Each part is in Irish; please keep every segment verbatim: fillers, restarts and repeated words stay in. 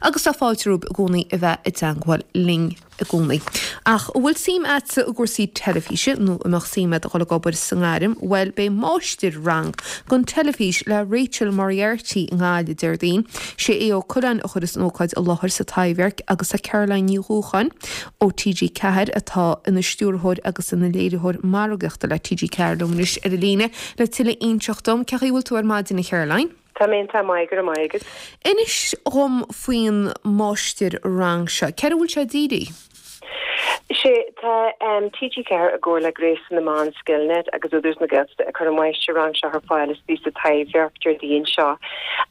Agus tá fáilte romhaibh i gcónaí a bheith i dteangmháil linn i gcónaí. Ach an bhfuil suim agat i gcúrsaí teilifíse nó an mbeadh suim agat a dhul ag obair sa ngairm, bhuel beidh máistir-rang don teilifís le Rachel Moriarty i nGaillimh Déardaoin. Sé Aodh Ó Coileáin a chuireas an ócáid i láthair sa Taibhdhearc agus tá Caroline Ní Dhúcháin ó TG Ceathair atá ina stiúrthóir agus ina léiritheoir margaíochta le TG Ceathair liom anois ar an líne le tuilleadh a inseacht dom. Cén chaoi a bhfuil tú ar maidin a Charoline? Tá mé tá maith go maith agat. Inis dhom faoin máistir-rang seo, céard a bhfuil sé dírithe? Sé tá um, TG Ceathair i gcomhar le Gréasán na Meán Skillnet agus Údarás na Gaeltachta ag cur an máistir-rang seo ar fáil istigh sa Taibhdhearc Déardaoin seo.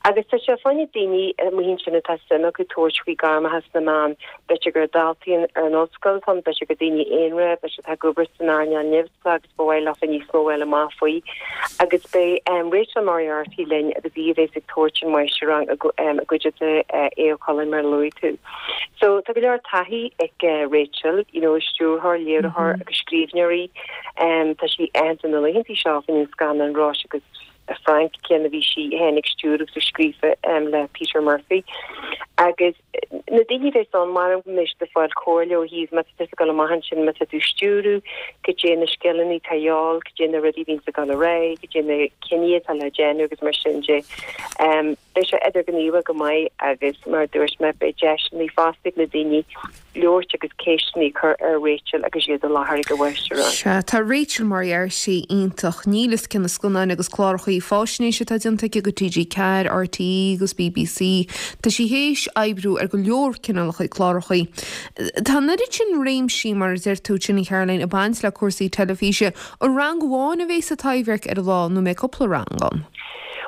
Agus tá sé fá choinne daoine amuigh ansin atá suim acu tabhairt faoi gairmeacha sna meáin, b'fhéidir gur daltaí ar an ollscoil ann, b'fhéidir gur daoine aonair, b'fhéidir atá ag obair san earnáil neamhspleách agus ba mhaith leofa níos mó a fháil amach faoi. Agus beidh um, Rachel Moriarty linn agus í a bheas ag tabhairt an máistir-rang i gcuideachta Aodh Ó Coileáin mar a luaigh tú. So tá go leor taithí ag uh, Rachel, you know, stiúrthóir, léiritheoir agus scríbhneoir í. Um, tá sí aitheanta na laethanta seo faoin scannán Róise agus Frank cén a bhí sí féin ag stiúradh agus scríofa um, le Peter Murphy. Agus na daoine bheas ann mar mis de fáil comhairle ó thaobh má tá tú amach ansin má tá tú stiúradh, cad é na scileanna atá de dhíobháil, cad é na rudaí bhíonn ag dul ré, cad é na cinntí atá le déanamh agus mar sin de. Um, Beidh sé idirghníomhach go maith agus mar dúirt mé beidh deiseanna fosta ag na daoine labhairt agus ceisteanna a chur ar Rachel agus iad i láthair ag an mháistir-rang. Sea tá Rachel Moriarty iontach níl fhios cé na scannáin agus cláracha faisnéise atá déanta aici do TG Ceathair, RTÉ agus BBC. Tá sí théis oibriú ar go leor cineálacha cláracha. Tá an oiread sin réimsí mar a deir tú sin a Charoline ag baint le cúrsaí teilifíse, an rang amháin a bheas sa Taibhdhearc ar an lá nó an mbeidh cúpla rang ann.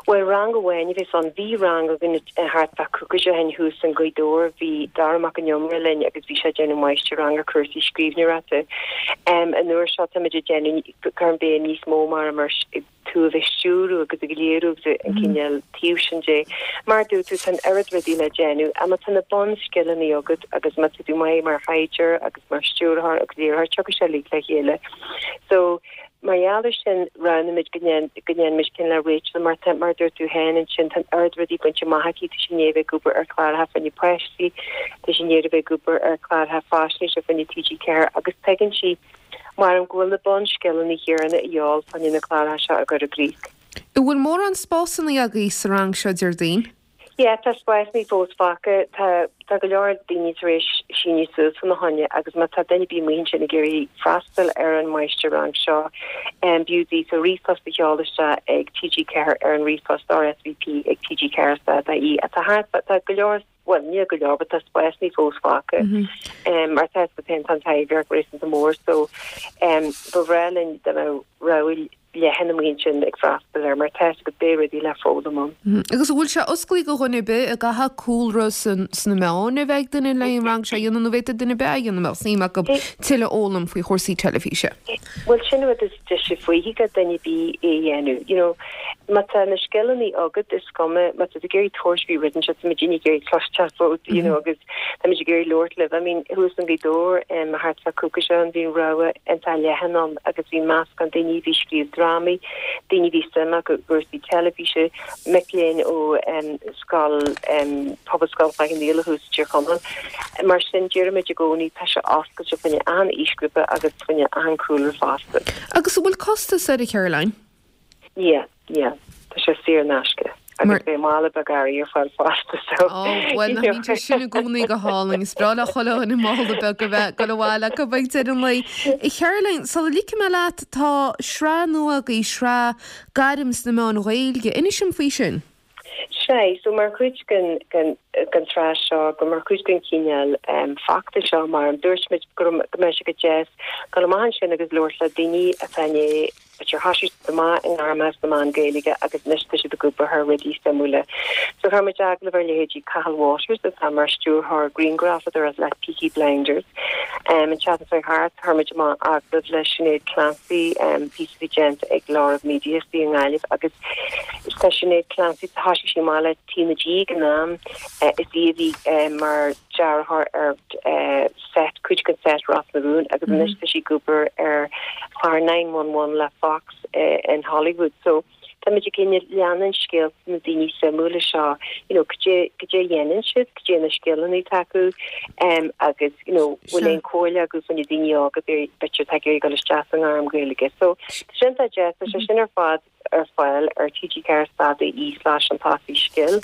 Well rang amháin a bheas ann bhí rang againn thart fá cúpla bliain thuas in Gaoth Dobhair bhí Dara Mac an Iomaire linn agus bhí sé déanamh máistir-rang ar cúrsaí scríbhneoireachta. Um, an uair seo tá muid ag déanamh cur béim níos mó mar mar tú a bheith stiúradh agus ag léiriú agus an cineál taobh sin de. Mar dúirt tú tá an oiread rudaí le déanamh, ach má tá na bunscileanna agat agus má tá tú maith mar thaighdeoir agus mar stiúrthóir agus léiritheoir tugann sé le chéile. So mar gheall sin roghnaigh muid go ndéanfaimid ceann le Rachel mar mar dúirt tú féin ansin tá an oiread rudaí bainte amach aici tá sí i ndiaidh bheith ag obair ar chláracha fá choinne páistí, tá sí i ndiaidh bheith ag obair ar chláracha faisnéise fá choinne TG Ceathair agus tuigeann sí mar go bhfuil na bunscileanna céanna de dhíobháil fá choinne na cláracha seo a chur i gcrích. An bhfuil mórán spásanna agaibh sa rang seo Déardaoin? Ja, tá spásanna fós fágtha tá tá go leor daoine tar éis síniú suas fá choinne agus má tá duine ar bith amuigh ansin ag iarraidh freastal ar an máistir-rang seo um, b'fhiú daofa ríomhphost a sheoladh isteach ag TG Ceathair ar an ríomhphost RSVP ag TG Ceathair ie atá tá go leor well ní go leor tá spásanna fós fágtha um, mar tá go an Taibhdhearc réasúnta mór so um, ba bhreá linn dá mbeadh rogha leathan amuigh ansin ag freastal ar mar tá go beidh rudaí le foghlaim ann. Agus bhfuil sé oscailte do dhuine ar bith an gcaithfidh cúlra sna meáin a bheith ag duine le an rang seo a dhéanamh nó bhféadfadh duine ar bith a dhéanamh mbeadh suim acu tuilleadh a fhoghlaim faoi chúrsaí teilifíse. Well sin rud is deise faoi go duine ar bith é a dhéanamh. You know, má tá na scileanna agat is cuma má tá ag iarraidh tabhairt faoi rud se muid ag iarraidh cloisteáil fút you know agus tá muid ag iarraidh labhairt libh. I mean thuas in Gaoth Dobhair um, thart fá cúpla bliain bhí rogha an-leathan ann agus bhí meascán daoine bhí scríobh drámaí, daoine bhí suim acu i gcúrsaí teilifíse, mic léinn ó um, scoil um, Pobalscoil Chloich Cheann Fhaola thuas Tír Chonaill. Mar sin deirimid i gcónaí tá sé oscailte fá choinne achan aoisghrúpa agus fá choinne achan chúlra fosta. Agus an bhfuil costas air a Caroline? Yeah, yeah, Tá sé saor in aisce. agus beidh mála beag earraí ar fáil fosta so Well na bíonn sin i gcónaí go hálainn is breá le chuile dhuine mála beag go bheith go bhfuil go bheith ar an lei. Caroline, sula ligfidh mé leat tá sraith nua agaibh sraith gairm sna meáin Ghaeilge, inis dom faoi sin. Sé, so mar chuid den den den tsraith seo go mar chuid den chineál um, feachtas seo mar an dúirt muid go go mbeadh sé go deas go amach ansin agus labhairt le daoine atá né gur thosaigh amach i ngairmeacha sna meáin Gaeilge agus anois tá siad ag obair ar rudaí suimiúla. So chuir muid agallamh ar leithéidí Cathal Waters atá mar stiúrthóir grianghrafadóireachta le Peaky Blinders. Um, an tseachtain seo thart chuir muid amach agallamh le Sinéad Clancy um, píosa a bhí déanta ag Lárab Media i nGaillimh agus tá Sinéad Clancy thosaigh sí amach le TnaG ag an am uh, is í a bhí uh, mar dearthóir ar uh, set cuid den set Ros na Rún agus anois tá sí ag obair ar chlár nine one one le Fox uh, in Hollywood. So Táimid ag cineál leanúint scéalta na daoine suimiúla seo, you know, cad é cad é a dhéanann siad, cad é na scileanna atá acu, um, agus you know, bhfuil aon chomhairle acu do na daoine óga b'fhéidir atá ag iarraidh dul isteach sa ngairm Gaeilge. So sin tá deas tá sé sin ar fad ar fáil ar TG ceathair dot ie slash an taí scil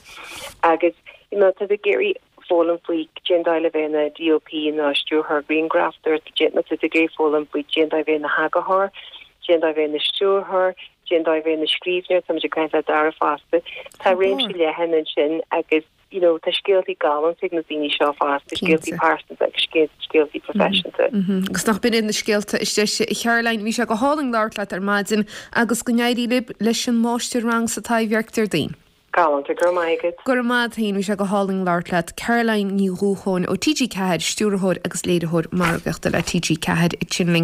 agus you know, tá ag iarraidh foghlaim faoi cén dóigh le bheith ina DOP nó stiúrthóir grianghraf má tá tú ag iarraidh foghlaim faoi cén dóigh bheith ina heagarthóir, cén dóigh bheith ina stiúrthóir, cén dóigh bheith ina scríbhneoir tá ag caint le Dara fosta. Tá réimse leathan ansin agus you know, tá scéaltaí galánta ag na daoine seo fosta, scéaltaí pearsanta agus scéaltaí proifisiúnta. Agus nach binn na scéalta is deise a Charoline bhí sé go hálainn labhairt leat ar maidin agus go n-éirí libh leis an máistir-rang sa Taibhdhearc Déardaoin. Galánta go raibh maith agat. Go raibh maith agat bhí sé go hálainn labhairt leat Caroline Ní Dhúcháin ó TG Ceathair, stiúrthóir agus léiritheoir margaíochta le TG Ceathair ansin linn.